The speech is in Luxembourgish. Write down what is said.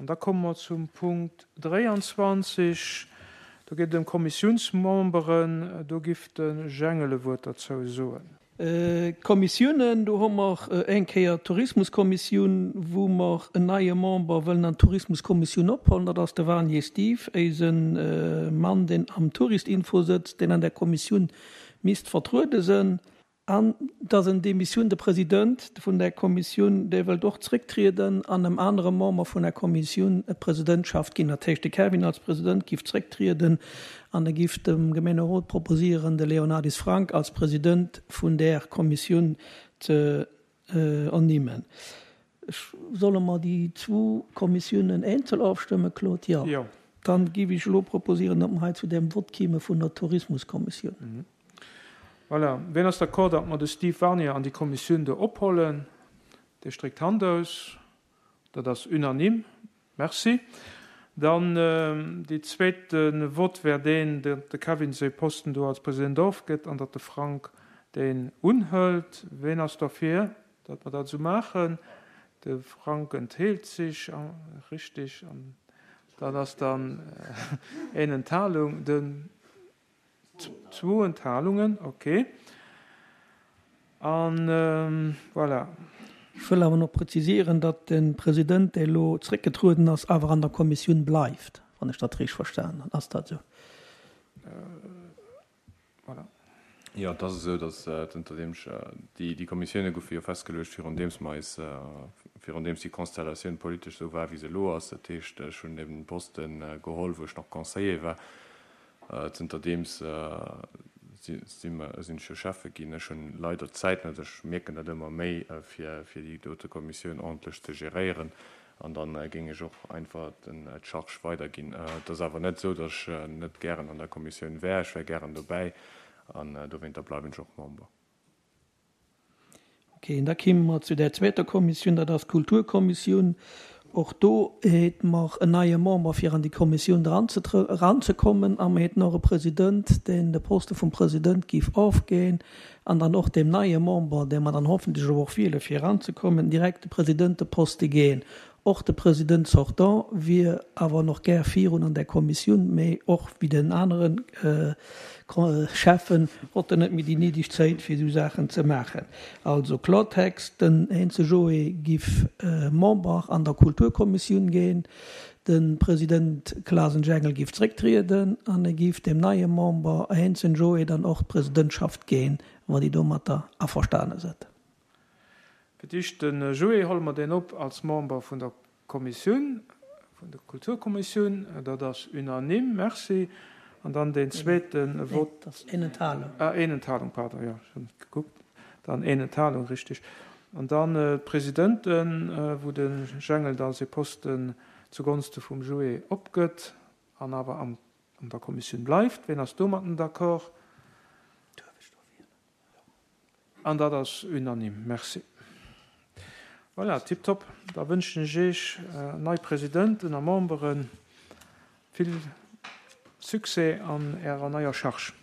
An da komme mer zum Punkt 23. Do geet et ëm Kommissiounsmemberen. Do giff de Jengel e Wuert derzou soen. D'Kommissiounen, do hu mer eng Kéier d'Tourismuskommissioun, wou mer en neie Member wëllen an d'Tourismuskommissioun ophuelen. Dat ass de Warnier Steve, éise Mann, deen am Touristinfo sëtzt, deen an där Kommissioun misst vertruede sënn. An dass en Demissioun, de President vun där Kommissioun, dee wëllt och zrécktrieden an em anere Member vun der Kommissioun d'Presidentschaft ginn. Dat heescht, de Kevin als President giff zrécktrieden an e giff dem Gemeenerot proposieren, de Léonardis Frank als President vun där Kommissioun ze ernimmen. Solle mer déi zwou Kommissiounen eenzel ofstëmmen, Claude? Jo. Jo. Dann giff ech elo proposieren, datt mer hei zu deem Vott kieme vun der Tourismuskommissioun. Voilà. Wien ass d'accord, datt mer de Steve Warnier an déi Kommissioun do ophollen? Dee stréckt d'Hand aus. Dat ass unanime. Merci. Dann déi zweete Vott wär deen, datt de Kevin säi Posten do als President ofgëtt an datt de Frank deen unhëlt. Ween ass derfir, datt mer dat esou maachen? De Frank entheelt sech, richtig. An dat ass dann een Enthalung. Den. Zwou Enthalungen, ok. An voilà. Ech wëll awer nach präzisieren, datt de President, dee elo zréckgetrueden ass, awer an der Kommissioun bleift, wann ech dat richteg verstanen hunn. Ass dat esou? Voilà. Jo, et ass esou, datt zënterdeem ech, déi Kommissioune goufe jo festgeluecht, virun deems mer eis, virun deems déi Konstellatioun politesch esou war, wéi se elo ass. Dat heescht, ech hunn eben den Poste geholl, wou ech nach Conseiller war. Zënterdeems sinn ech jo Schäffe ginn. Ech hunn leider d'Zäit net, ech mierken dat ëmmer méi, fir déi dote Kommissioun ordentlech ze geréieren. An da géing ech och einfach d'Charge weiderginn. Et ass awer net esou, datt ech net gären an der Kommissioun wär. Ech wär gären dobäi an dowéinter bleiwen ech och Member. Ok, an da kéime mer zu där zweeter Kommissioun, dat ass d'Kulturkommissioun. Och do hate mer en neie Member, fir an déi Kommissioun eranzekommen, a mer haten och e President, deen de Poste vum President géif ofginn an dann och deem neie Member, dee mer dann hoffentlech elo och wiele fir eranzekommen, direkt de Presidenteposte ginn. Och de President sortant wier awer nach gär virun an där Kommissioun, mee och wéi den anere Schäffen hott en net méi déi néideg Zäit fir esou Saachen ze maachen. Also Klortext, den Heinze Joé giff Member an der Kulturkommissioun ginn, de President Klasen Jengel giff zrécktrieden an e giff dem neie Member Heinzen Joé dann och d'Presidentschaft ginn, wa déi domatter averstane sëtt. Fir d'éischt de Joé, Holle mer deen op als Member vun der Kommissioun, vun der Kulturkommissioun. Dat ass unanime. Merci. An dann deen zweete Vott. Nee, dat ass een Enthalung. Ah, een Enthalung, pardon, jo, ech hunn net gekuckt. Dann een Enthalung, richtig. An dann d'Presidenten, wou de Jengel da säi Posten zugonste vum Joé opgëtt an awer an der Kommissioun bleift. Wien ass domatten d'accord? An dat ass unanime. Merci. Voilà, tiptop. Da wënschen ech Iech, nei Presidenten a Memberen, vill Succès an Ärer neier Charge.